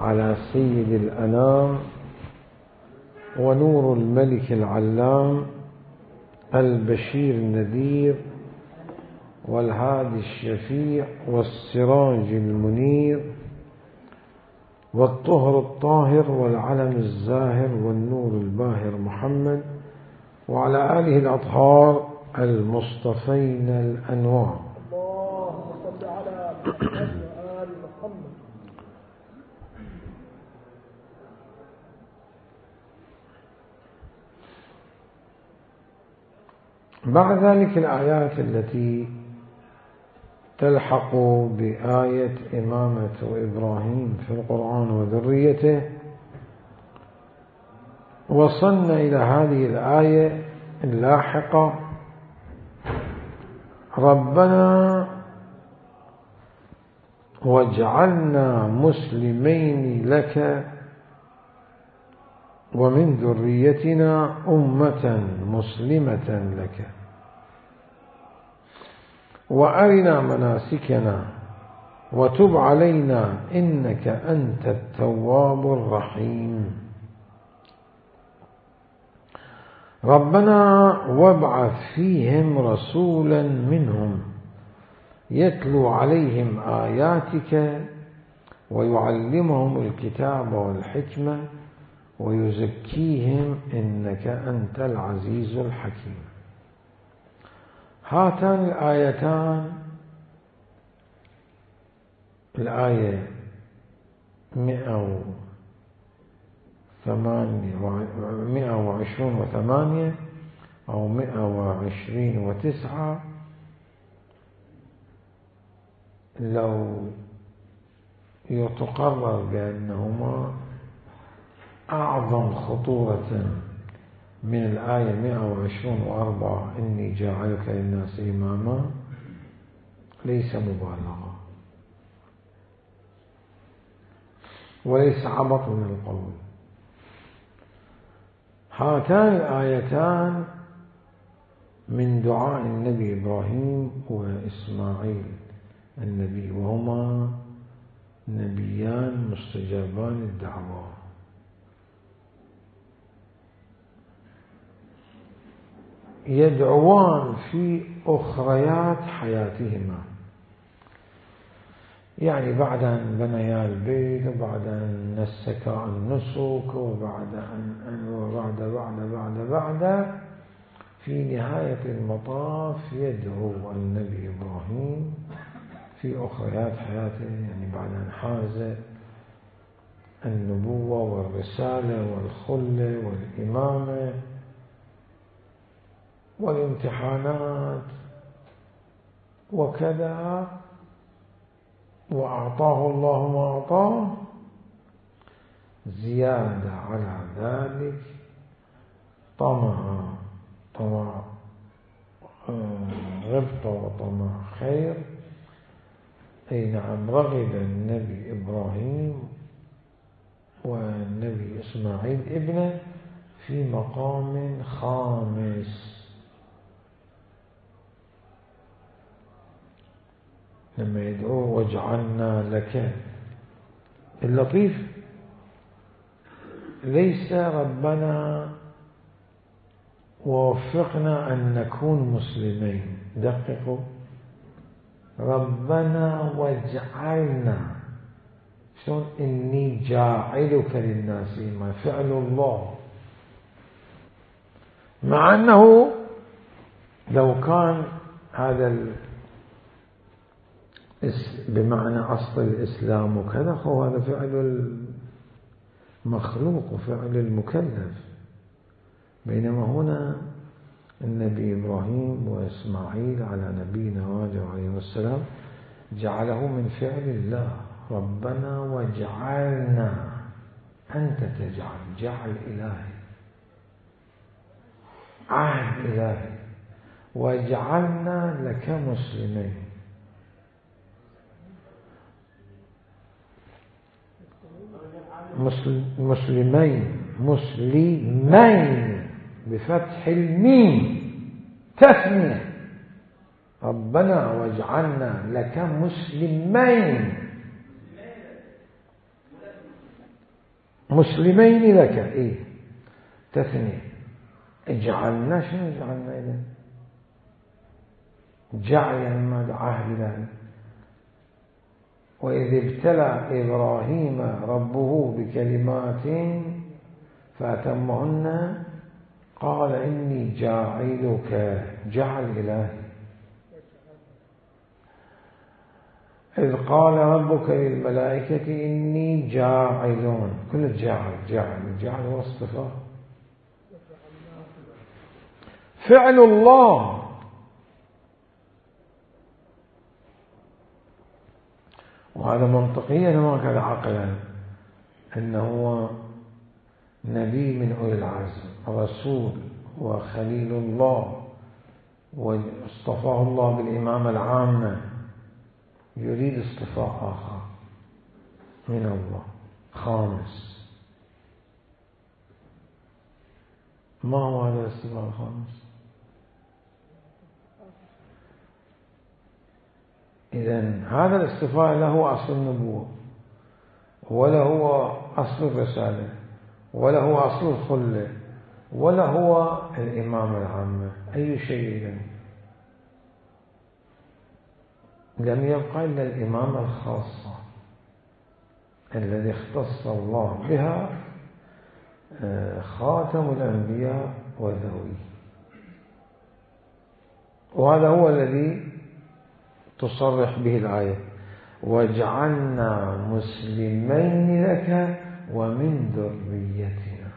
على سيد الأنام ونور الملك العلام البشير النذير والهادي الشفيع والسراج المنير والطهر الطاهر والعلم الزاهر والنور الباهر محمد وعلى آله الأطهار المصطفين الأنوار. اللهم صل على محمد وآل محمد. بعد ذلك الآيات التي تلحق بآية إمامة إبراهيم في القرآن وذريته، وصلنا إلى هذه الآية اللاحقة: ربنا واجعلنا مسلمين لك ومن ذريتنا أمة مسلمة لك وأرنا مناسكنا وتب علينا إنك أنت التواب الرحيم. ربنا وابعث فيهم رسولا منهم يتلو عليهم آياتك ويعلمهم الكتاب والحكمة ويزكيهم إنك أنت العزيز الحكيم. هاتان الآيتان، الآية 128 أو 129، لو يتقرر بأنهما أعظم خطورة من الآية 124 إني جاعلك للناس إماما، ليس مبالغة وليس عبط من القول. هاتان الآيتان من دعاء النبي إبراهيم وإسماعيل النبي، وهما نبيان مستجابان الدعوة. يدعوان في أخريات حياتهما، يعني بعد أن بنيا البيت وبعد أن نسكا النسك وبعد في نهاية المطاف يدعو النبي إبراهيم في أخريات حياته، يعني بعد أن حاز النبوة والرسالة والخلة والإمامة والامتحانات وكذا، وأعطاه الله ما أعطاه، زيادة على ذلك طمع غبطة وطمع خير. أي نعم، رغب النبي إبراهيم والنبي إسماعيل ابنه في مقام خامس، لما يدعوه واجعلنا لك. اللطيف ليس ربنا ووفقنا أن نكون مسلمين، دققوا، ربنا واجعلنا، شلون إني جاعلك للناس إماما، فعل الله، مع أنه لو كان هذا بمعنى أصل الإسلام وكذا، هذا فعل المخلوق وفعل المكلف، بينما هنا النبي إبراهيم وإسماعيل على نبينا وآله عليه السلام جعله من فعل الله. ربنا واجعلنا، أنت تجعل، جعل إلهي، عهد إلهي، واجعلنا لك مسلمين. مسلمين بفتح الميم، تثنية. ربنا واجعلنا لك مسلمين، مسلمين لك إيه تثنية. اجعلنا شنو اجعلنا إذن؟ جعل يعني ماذا؟ عهد ذلك. وإذ ابتلى إبراهيم ربه بكلمات فأتمهن قال إني جاعلك، جعل إلهي. إذ قال ربك للملائكة إني جاعل، كل جاعل هو اصطفاء، فعل الله. وهذا منطقيا وهكذا عقلا، أنه هو نبي من أولي العزم، رسول وخليل الله، واصطفاه الله بالإمامة العامة، يريد اصطفاء آخر من الله خامس. ما هو هذا الاصطفاء الخامس؟ إذن هذا الاصطفاء لا هو أصل النبوة، ولا هو أصل الرسالة، ولا هو أصل الخلة، ولا هو الإمامة العامة. أي شيء إذن؟ لم يبقى إلا الإمامة الخاصة الذي اختص الله بها خاتم الأنبياء وذويه. وهذا هو الذي تصرح به الآية: وجعلنا مسلمين لك ومن ذريتنا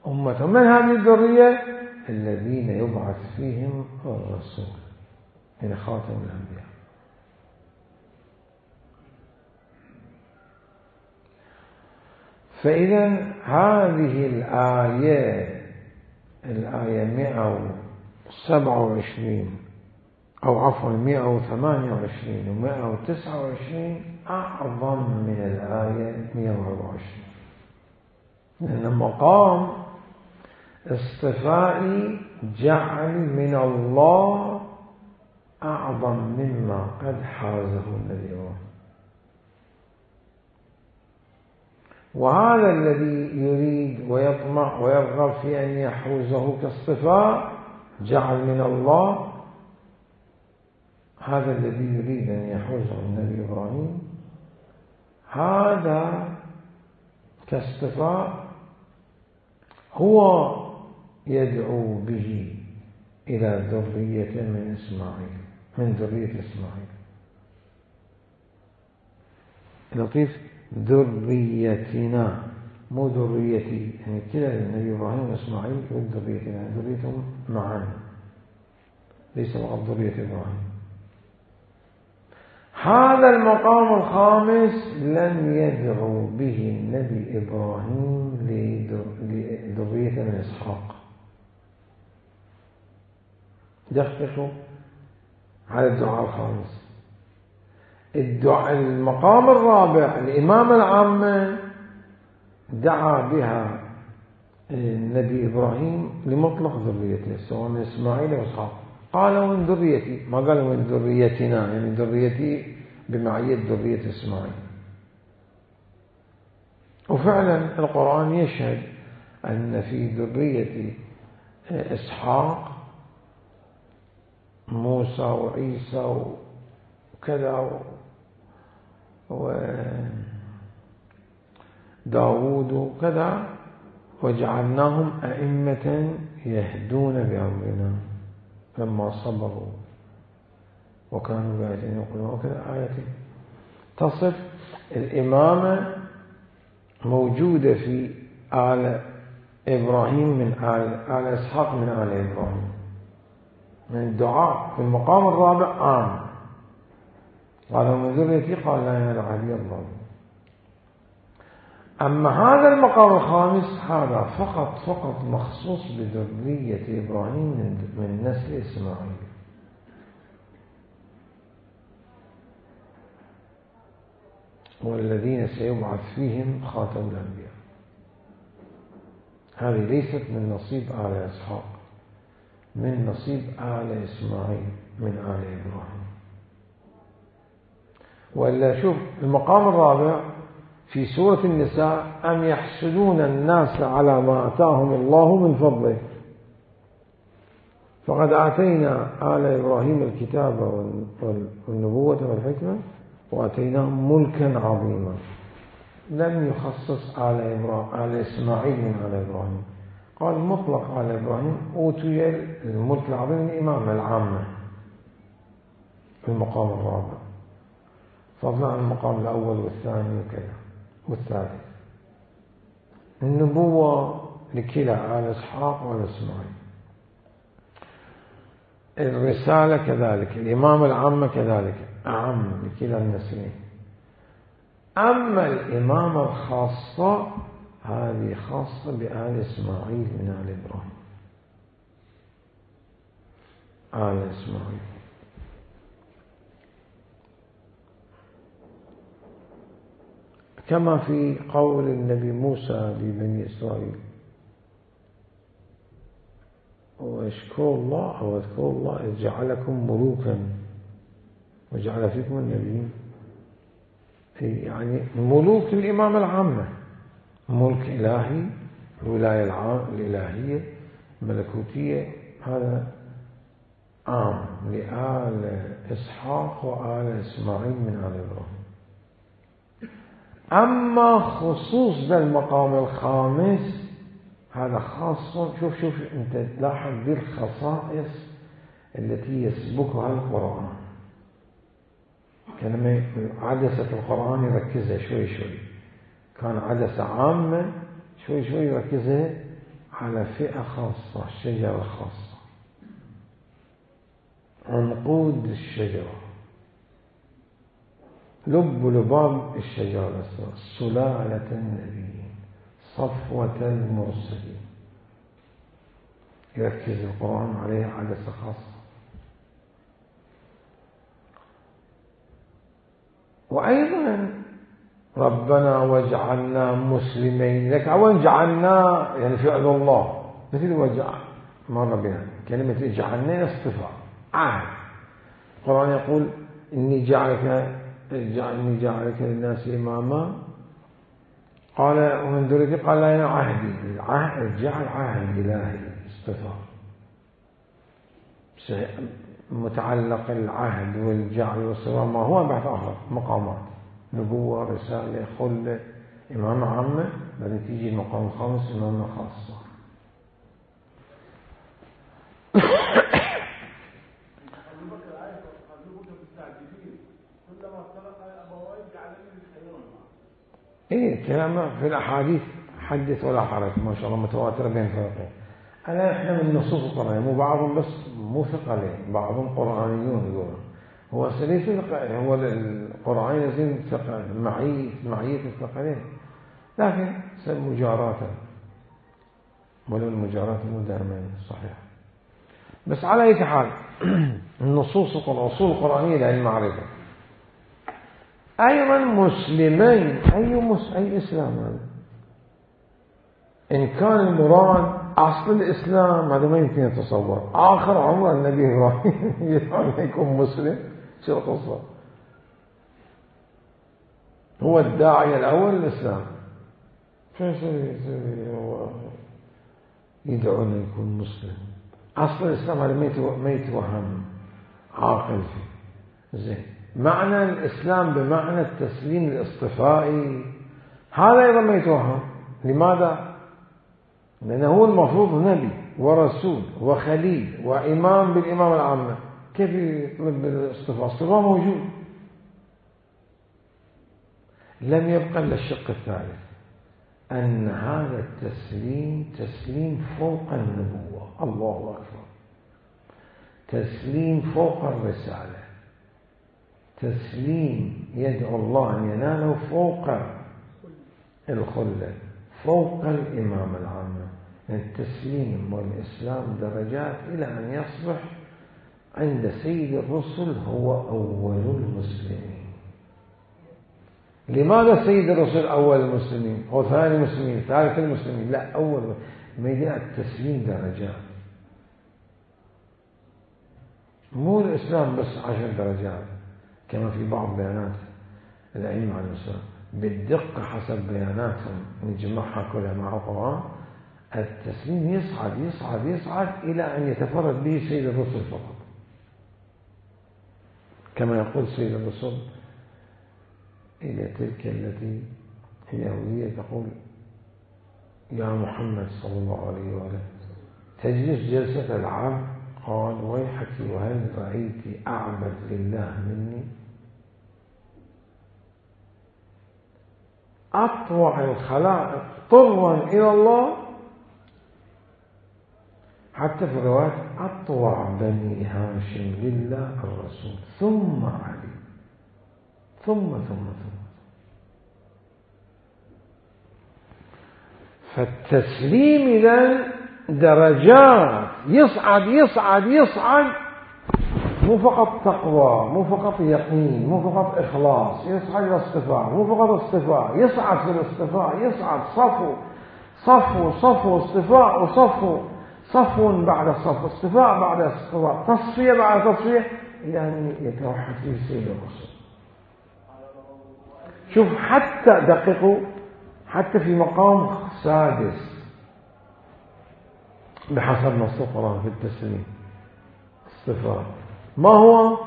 أمة. من هذه الذرية؟ الذين يبعث فيهم الرسول، من خاتم الأنبياء. فإذا هذه الآية 127 أو عفوا 128 و 129 أعظم من الآية 124، لأن مقام اصطفاء جعل من الله أعظم مما قد حازه النبي. وهذا الذي يريد ويطمع ويرغب في أن يحوزه كاصطفاء جعل من الله، هذا الذي يريد أن يحوزه النبي إبراهيم، هذا كاصطفاء هو يدعو به إلى ذرية من إسماعيل، من ذرية إسماعيل. لطيف، ذريتنا مو ذريتي، يعني كلا النبي إبراهيم وإسماعيل ذريتنا، ذريتهم معا، ليس فقط ذرية إبراهيم. هذا المقام الخامس لم يدعو به النبي إبراهيم لذرية من إسحاق. دققوا على الدعاء الخامس. المقام الرابع الإمامة العامة دعا بها النبي إبراهيم لمطلق ذريته، سواء من إسماعيل وإسحاق. قال من ذريتي، ما قال من ذريتنا، يعني ذريتي بمعية ذرية إسماعيل. وفعلا القرآن يشهد أن في ذرية إسحاق موسى وعيسى وكذا وداود وكذا، وجعلناهم أئمة يهدون بأمرنا لما صبروا وكانوا بآياتنا يقولون، وكذا آيات تصف الإمامة موجودة في آل إبراهيم من آل إسحاق من آل إبراهيم. من الدعاء في المقام الرابع قال من ذريتي، قال لا ينال عهدي الظالمين. أما هذا المقام الخامس هذا فقط مخصوص بذرية إبراهيم من نسل إسماعيل. والذين سيبعث فيهم خاتم الأنبياء. هذه ليست من نصيب آل إسحاق، من نصيب آل إسماعيل من آل إبراهيم. وإلا شوف المقام الرابع في سورة النساء أم يحسدون الناس على ما آتاهم الله من فضله فقد آتينا آل إبراهيم الكتاب والنبوة والحكمة وآتيناهم ملكا عظيما. لم يخصص آل إسماعيل من آل إبراهيم، قال مطلق آل إبراهيم أوتي الملك العظيم من الإمامة العامة في المقام الرابع، فضلا عن المقام الأول والثاني وكذا والثالث. النبوة لكلا آل إسحاق وآل إسماعيل، الرسالة كذلك، الإمامة العامة كذلك أعم لكلا النسلين. أما الإمامة الخاصة هذه خاصة بآل إسماعيل من آل إبراهيم، آل إسماعيل. كما في قول النبي موسى لبني إسرائيل واشكروا الله أو اذكروا الله إذ جعلكم ملوكا وجعل فيكم النبيين، يعني ملوك الإمامة العامة، ملك إلهي، الولاية الإلهية الملكوتية، هذا عام لآل إسحاق وآل إسماعيل من آل إبراهيم. أما خصوص ذا المقام الخامس هذا خاص، شوف أنت لاحظ ذي الخصائص التي يسبقها القرآن. كلمة عدسة القرآن يركزها شوي شوي، كان عدسة عامة شوي شوي يركزها على فئة خاصة، شجرة خاصة، عنقود الشجرة، لب لباب الشجرة، سلالة النبيين، صفوة المرسلين، يركز القرآن عليها عدسة خاصة. وأيضا ربنا واجعلنا مسلمين لك، وين جعلنا يعني فعل الله، مثل وجع مر بنا كلمة اجعلنا اصطفاء عهد. القرآن يقول إني جعلك للناس إماما، قال ومن ذريتي، قال لا أنا عهدي، الجعل عهد إلهي اصطفاء، متعلق العهد والجعل والصفاء ما هو بعد آخر مقامات، نبوة، رسالة، خلة، إمامة عامة، بعدين تيجي المقام الخامس إمامة خاصة. إيه كلام في الأحاديث حدث ولا حرج ما شاء الله متواترة بين فرقين. إحنا من نصوص القرآن، مو بعضهم بس مو ثقلين، بعضهم قرآنيون يقولون هو سليس هو القرآن يزين معية الثقلين، لكن مجاراة، ولو المجاراة مو دائما صحيح. بس على أي حال النصوص الأصول القرآنية للمعرفة. أيضا مسلمين، أي إسلام هذا؟ إن كان المراد أصل الإسلام هذا ما يمكن يتصور، آخر عمر النبي إبراهيم يدعو يكون مسلم، شو القصة؟ هو الداعية الأول للإسلام، هو يدعو أن يكون مسلم؟ أصل الإسلام هذا ما يتوهم عاقل فيه. زين، معنى الإسلام بمعنى التسليم الاصطفائي هذا أيضا ما يتوهم. لماذا؟ لأنه هو المفروض نبي ورسول وخليل وإمام بالإمامة العامة، كيف يطلب الاصطفاء؟ الاصطفاء موجود. لم يبقى إلا الشق الثالث، أن هذا التسليم تسليم فوق النبوة، الله أكبر، تسليم فوق الرسالة، تسليم يدعو الله أن يناله فوق الخلة، فوق الإمامة العامة. التسليم والإسلام درجات إلى أن يصبح عند سيد الرسل هو أول المسلمين. لماذا سيد الرسل أول المسلمين أو ثاني المسلمين ثالث المسلمين؟ لا، أول. ميدان التسليم درجات، مو الإسلام بس 10 درجات كما في بعض بيانات الأئمة عن الإسلام. بالدقة حسب بياناتهم نجمعها كلها مع القرآن، التسليم يصعد يصعد يصعد إلى أن يتفرد به سيد الرسل فقط، كما يقول سيد الرسل إلى تلك التي اليهودية تقول يا محمد صلى الله عليه وآله تجلس جلسة العبد، قال ويحك وهل رأيت أعبد لله مني؟ أطوع الخلائق طرا إلى الله، حتى في رواية أطوع بني هاشم لله الرسول ثم علي ثم فالتسليم إذن درجات، يصعد يصعد يصعد، مو فقط تقوى، مو فقط يقين، مو فقط إخلاص، يصعد إلى اصطفاء، مو فقط اصطفاء، يصعد في الاصطفاء، يصعد صفو اصطفاء صفو بعد صفو، اصطفاء بعد اصطفاء، تصفية بعد تصفية، إلى أن يتوحد فيه سيد الرسل. شوف حتى دققوا، حتى في مقام سادس بحسب نص القرآن في التسليم اصطفاء، ما هو؟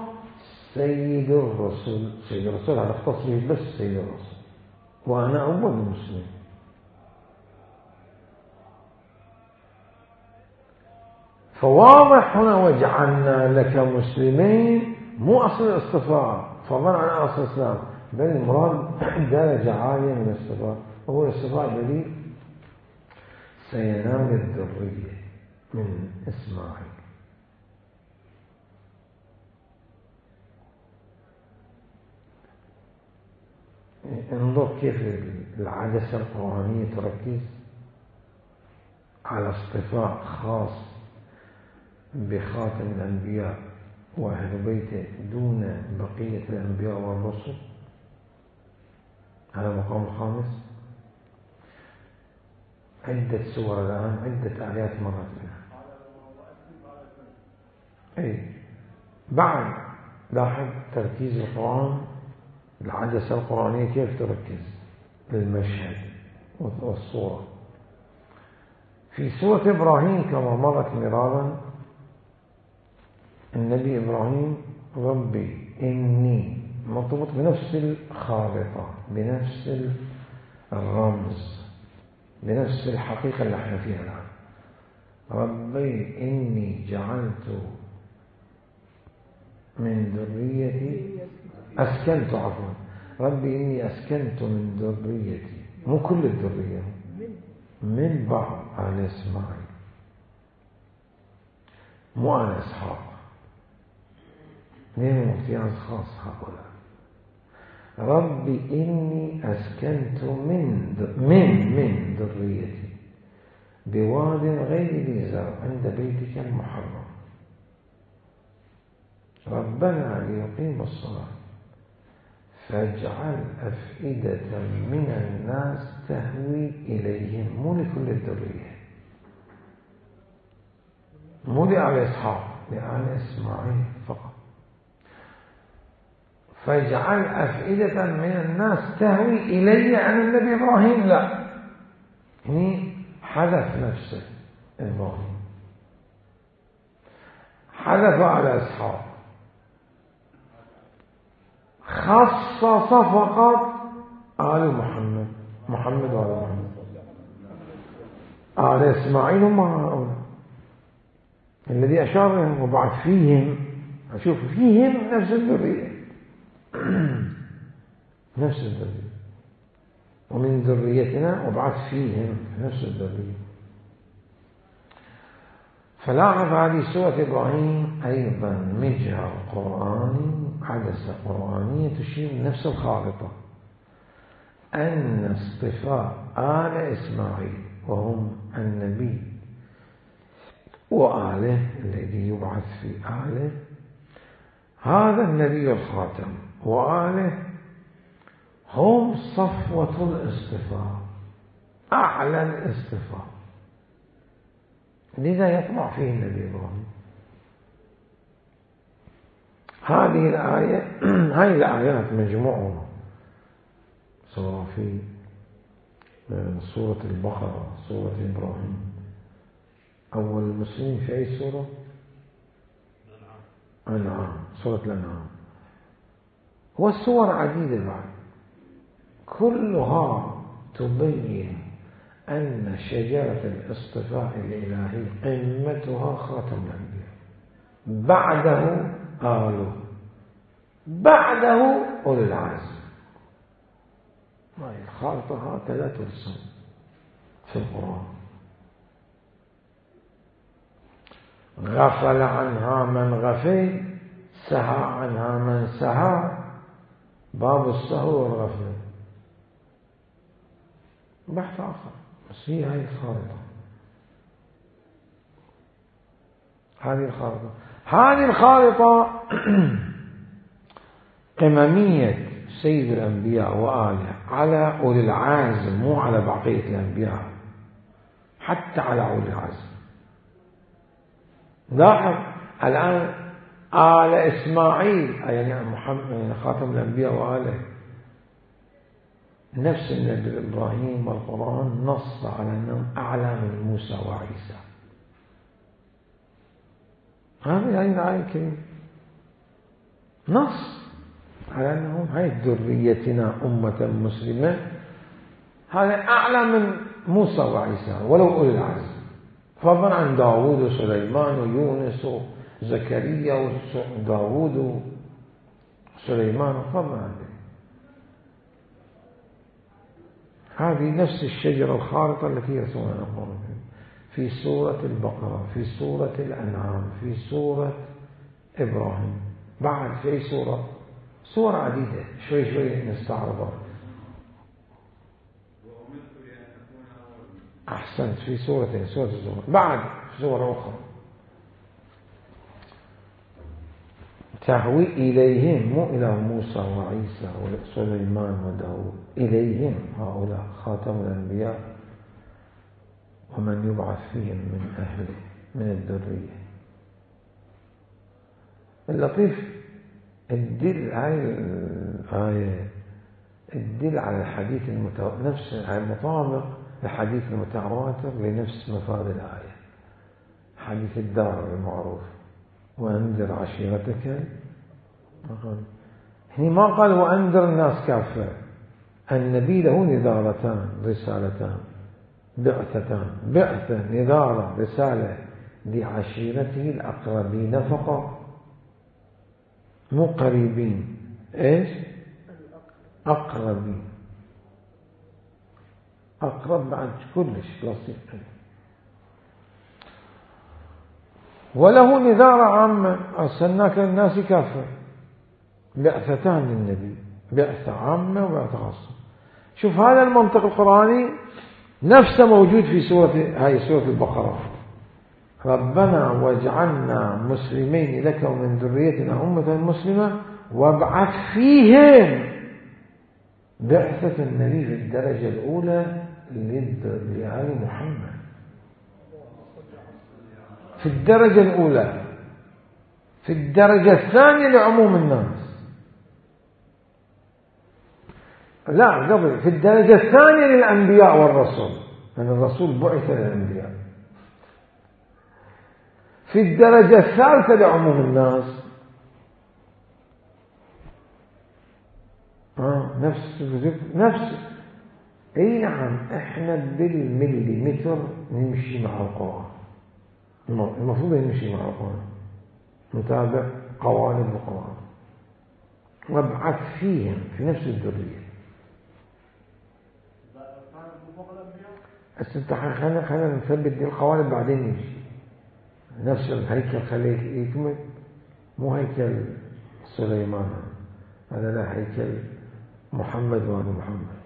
سيد الرسل. سيد الرسل هذا اختص به بس سيد الرسل، وأنا أول المسلمين. فواضح هنا وجعلنا لك مسلمين، مو أصل الاصطفاء فضلا عن أصل الإسلام، بل المراد درجة عالية من الاصطفاء، وهو الاصطفاء الذي سينال الذرية من إسماعيل. انظر كيف العدسة القرآنية تركز على اصطفاء خاص بخاتم الأنبياء وأهل بيته دون بقية الأنبياء والرسل. هذا المقام الخامس. عدة سور الآن، عدة آيات مرت بها. أي بعد لاحظ تركيز القرآن، العدسة القرآنية كيف تركز للمشهد والصورة. في سورة إبراهيم كما مرت مرارا، النبي إبراهيم ربي إني مرتبط بنفس الخارطة، بنفس الرمز، بنفس الحقيقة اللي احنا فيها الآن. ربي إني جعلت من ذريتي أسكنت، عفوا، ربي إني أسكنت من ذريتي، مو كل الذرية، من بعض آل إسماعيل، مو آل إسحاق، لهم امتياز خاص هؤلاء. ربي إني أسكنت من ذريتي بواد غير ذي زرع عند بيتك المحرم ربنا ليقيموا الصلاة فاجعل أفئدة من الناس تهوي إليهم، مو لكل الذرية، مو لآل إسحاق، لآل إسماعيل فقط. فاجعل أفئدة من الناس تهوي إلي عن النبي إبراهيم، لا، هني حذف نفسه إبراهيم، حذف على إسحاق، خصص فقط آل محمد وآل محمد. آل إسماعيل هم هؤلاء الذي أشار لهم، وبعد فيهم، أشوف فيهم نفس الذرية نفس الذرية، ومن ذريتنا وبعث فيهم نفس الذرية. فلاحظ هذه سورة إبراهيم أيضا مجهر قرآني، عدسة قرآنية تشير نفس الخارطة، أن اصطفاء آل إسماعيل وهم النبي وآله الذي يبعث في آله، هذا النبي الخاتم وآله هم صفوة الاصطفاء، أعلى الاصطفاء، لذا يطمع فيه النبي إبراهيم. هذه الآية، هاي الآيات مجموعة سواء في سورة البقرة، سورة إبراهيم. أول المسلمين في أي سورة؟ أنعام، سورة الأنعام. والسور عديدة بعد، كلها تبين أن شجرة الاصطفاء الإلهي قمتها خاتم الأنبياء، بعده آله، بعده أولي العزم. الخارطة هكذا لا ترسم في القرآن. غفل عنها من غفل، سهى عنها من سهى. باب السهو والغفل بحث آخر، بس هي هاي الخارطة. هذه الخارطة قممية سيد الأنبياء وآله على أولي العزم، مو على بقية الأنبياء، حتى على أولي العزم. لاحظ الآن آل إسماعيل يعني محمد، يعني خاتم الأنبياء وآله، نفس النبي إبراهيم والقرآن نص على أنهم أعلى من موسى وعيسى. هذه الآية الكريمة نص على أنهم هاي ذريتنا أمة مسلمة، هذا أعلى من موسى وعيسى ولو أولي العزم، فضلا عن داود وسليمان ويونس وزكريا وداود وسليمان، فضلا عن ذلك. هذه نفس الشجرة الخارطة التي يرسمها القرآن في سورة البقرة، في سورة الأنعام، في سورة إبراهيم. بعد في أي سورة؟ سورة عديدة، شوي شوي نستعرضها. أحسنت، في سورتين، سورة الزمر. بعد سورة أخرى تهوي إليهم، مو إلى موسى وعيسى وسليمان وداود، إليهم هؤلاء خاتم الأنبياء ومن يبعث فيهم من أهله من الذرية. اللطيف الدل هاي الآية الدل على الحديث نفس المطابق الحديث المتواتر لنفس مفاد الآية، حديث الدار المعروف وأنذر عشيرتك. هنا ما قال وأنذر الناس كافة، النبي له نذارتان، رسالتان، بعثتان، بعثة نذارة رسالة لعشيرته الأقربين فقط، مو قريبين، إيش؟ أقربين، أقرب بعد كلش لصيق. وله نذارة عامة، أرسلناك للناس كافة، بعثتان للنبي، بعثة عامة وبعثة خاصة. شوف هذا المنطق القرآني نفسه موجود في سورة البقرة. ربنا واجعلنا مسلمين لك ومن ذريتنا أمة مسلمة وابعث فيهم بعثة النبي في الدرجة الأولى لآل محمد، في الدرجة الأولى، في الدرجة الثانية لعموم الناس، لا قبل، في الدرجة الثانية للأنبياء والرسول، لأن الرسول بعث للأنبياء. في الدرجة الثالثة لعموم الناس. نفس اي نعم، احنا بالمليمتر نمشي مع القرآن، المفروض نمشي مع القرآن، نتابع قوانين القرآن. وابعث فيهم في نفس الذرية. خلينا نثبت دي القوانين بعدين نمشي. نفس الهيكل خليه يكمل، مو هيكل سليمان، هذا لا، هيكل محمد وآل محمد.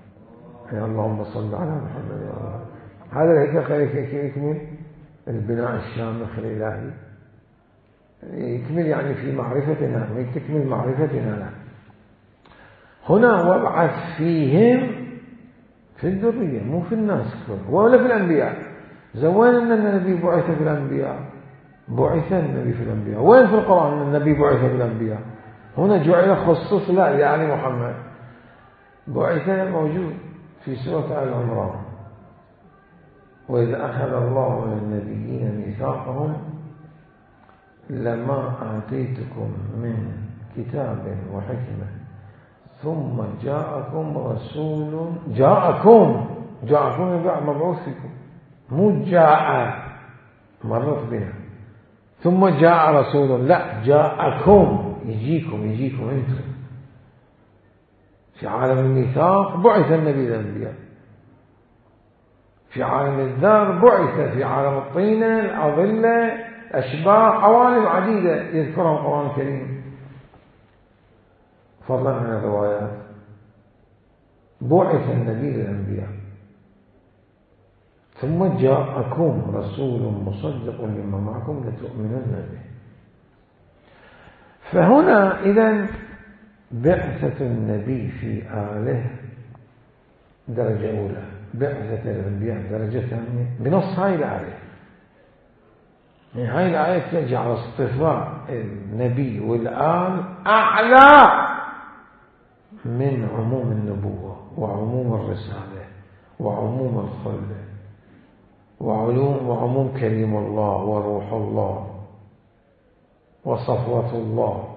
يا اللهم صل على محمد يا الله. هذا الهيكل خليه يكمل، البناء الشامخ الإلهي يكمل، يعني في معرفتنا، ويكمل معرفتنا له. هنا وابعث فيهم في الذرية، مو في الناس ولا في الأنبياء. زوين أن النبي بعث في الأنبياء، بعث النبي في الأنبياء. وين في القرآن أن النبي بعث في الأنبياء؟ هنا جعل خصوص لا يعني محمد. بعث موجود في سورة آل عمران. وإذا أخذ الله من النبيين ميثاقهم لما آتيتكم من كتاب وحكمة ثم جاءكم رسول جاءكم مبعوث فيكم، مو جاء مرت بنا ثم جاء رسول، لا جاءكم يجيكم انتم. في عالم الميثاق بعث النبي الأنبياء، في عالم الذر بعث، في عالم الطينة الأظلة أشباح عوالم عديدة يذكرها القرآن الكريم فضلا عن الروايات. بعث النبي الأنبياء ثم جاءكم رسول مصدق لما معكم لتؤمنن به. فهنا إذن بعثة النبي في آله درجة أولى، بعثة الأنبياء درجة ثانية بنص هاي الآية. يعني هاي الآية تجعل اصطفاء النبي والآل أعلى من عموم النبوة وعموم الرسالة وعموم الخلة وعموم كلم الله وروح الله وصفوة الله،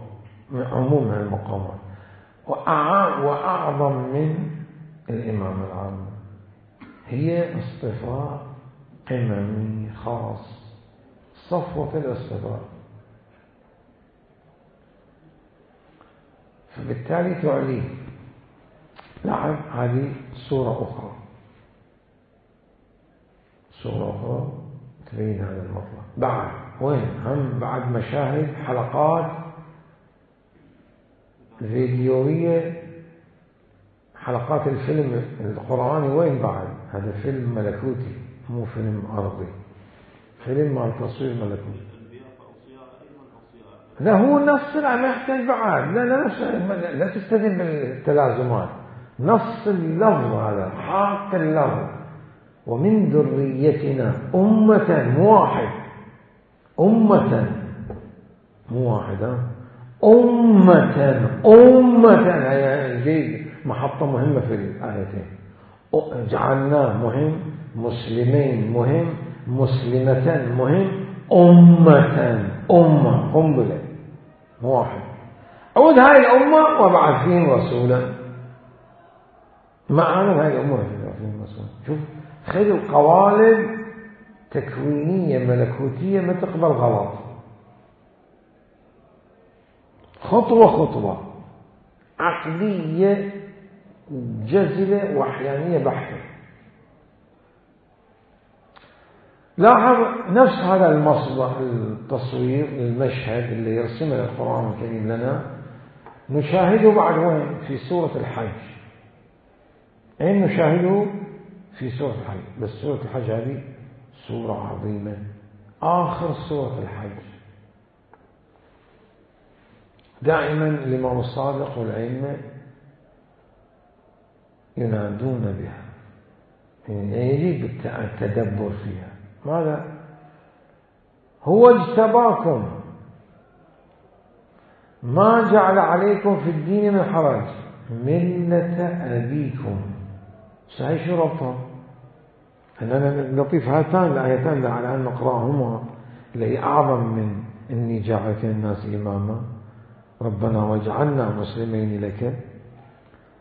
من عموم المقامات، وأعظم من الإمام العام. هي اصطفاء قممي خاص، صفوة الاصطفاء. فبالتالي تعليه. نعم هذه صورة أخرى تبين هذا المطلب. بعد وين هم بعد مشاهد حلقات فيديوية، حلقات الفيلم القرآني. وين بعد؟ هذا فيلم ملكوتي مو فيلم أرضي، فيلم مع تصوير ملكوتي. لا هو نص، ما يحتاج بعد، لا تستدل بالتلازمات، نص اللفظ هذا حق اللفظ. ومن ذريتنا أمة مو واحد، أمة مو واحدة، أمة هي محطة مهمة في الآيتين. جعلناه مهم، مسلمين مهم، مسلمة مهم، أمة قنبلة مو واحد. أود هاي الأمة وبعث فيهم رسولا. معانا هاي الأمة فيهم رسولا. شوف خذوا قوالب تكوينية ملكوتية ما تقبل غلط، خطوة عقلية جزلة وحيانية بحتة. لاحظ نفس هذا المصدر التصوير المشهد اللي يرسمه القرآن الكريم لنا نشاهده بعد وين؟ في سورة الحج. أين نشاهده؟ في سورة الحج. بس سورة الحج هذه سورة عظيمة، آخر سورة الحج. دائما الإمام الصادق والأئمة ينادون بها، يعني يجب التدبر فيها. ماذا؟ هو اجتباكم ما جعل عليكم في الدين من حرج ملة أبيكم. صحيح شو ربطها؟ أنا لطيف هاتان الآيتان على أن نقرأهما اللي هي أعظم من إني جعلك الناس إماما، ربنا واجعلنا مسلمين لك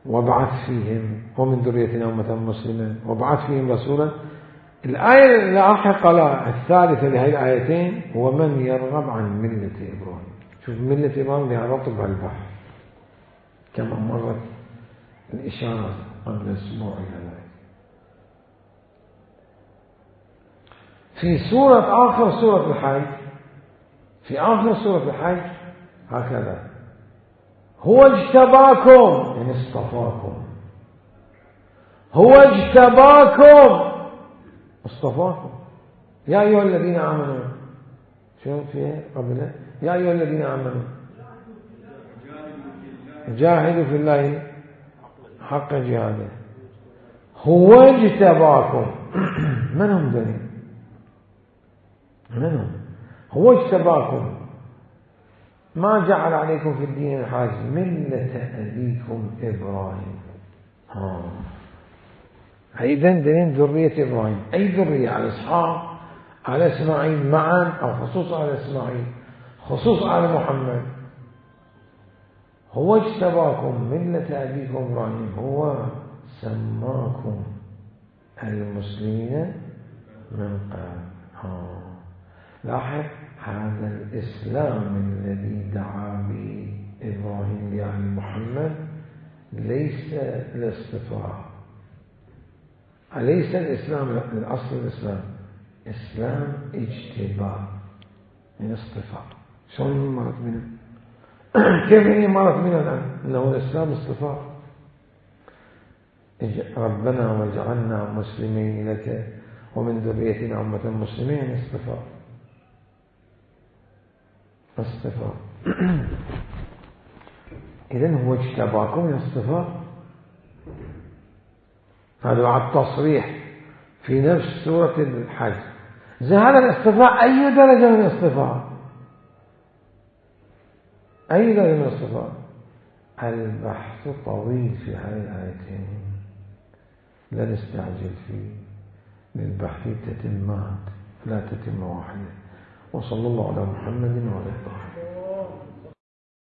وابعث فيهم ومن ذريتنا أمة مسلمة وابعث فيهم رسولا. الآية اللاحقة الثالثة لهذه الآيتين هو من يرغب عن ملة إبراهيم. شوف ملة إبراهيم لها رطب البحر كما مرت الإشارة قبل أسبوع إلى ذلك. في آخر سورة الحج، في آخر سورة الحج هكذا: هو اجتباكم، يعني اصطفاكم، هو اجتباكم اصطفاكم يا أيها الذين آمنوا. شو فيها قبل؟ يا أيها الذين آمنوا جاهدوا في الله حق جهاده. هو اجتباكم من هم ذلك؟ من هم؟ هو اجتباكم ما جعل عليكم في الدين الحرج ملة أبيكم إبراهيم. إذا دليل ذرية إبراهيم، أي ذرية؟ على إسحاق، على إسماعيل معا، أو خصوص على إسماعيل، خصوص على محمد. هو اجتباكم ملة أبيكم إبراهيم، هو سماكم المسلمين من قبل. لاحظ هذا الإسلام الذي دعا به إبراهيم يعني محمد ليس الاصطفاء، أليس الإسلام الأصل الإسلام إسلام اجتباء من اصطفاء. شلون مرت منه؟ كيف هي مرت منه الآن؟ إنه الإسلام اصطفاء. ربنا واجعلنا مسلمين لك ومن ذريتنا أمة مسلمين، اصطفاء اصطفاء. إذن هو اجتباكم الاصطفاء. هذا بعد تصريح في نفس سورة الحج. هذا الاصطفاء أي درجة من الاصطفاء؟ أي درجة من الاصطفاء؟ البحث طويل في هذه الآيتين، لا نستعجل فيه، للبحث تتمات لا تتم واحدة. وصلى الله على محمد وعلى آله.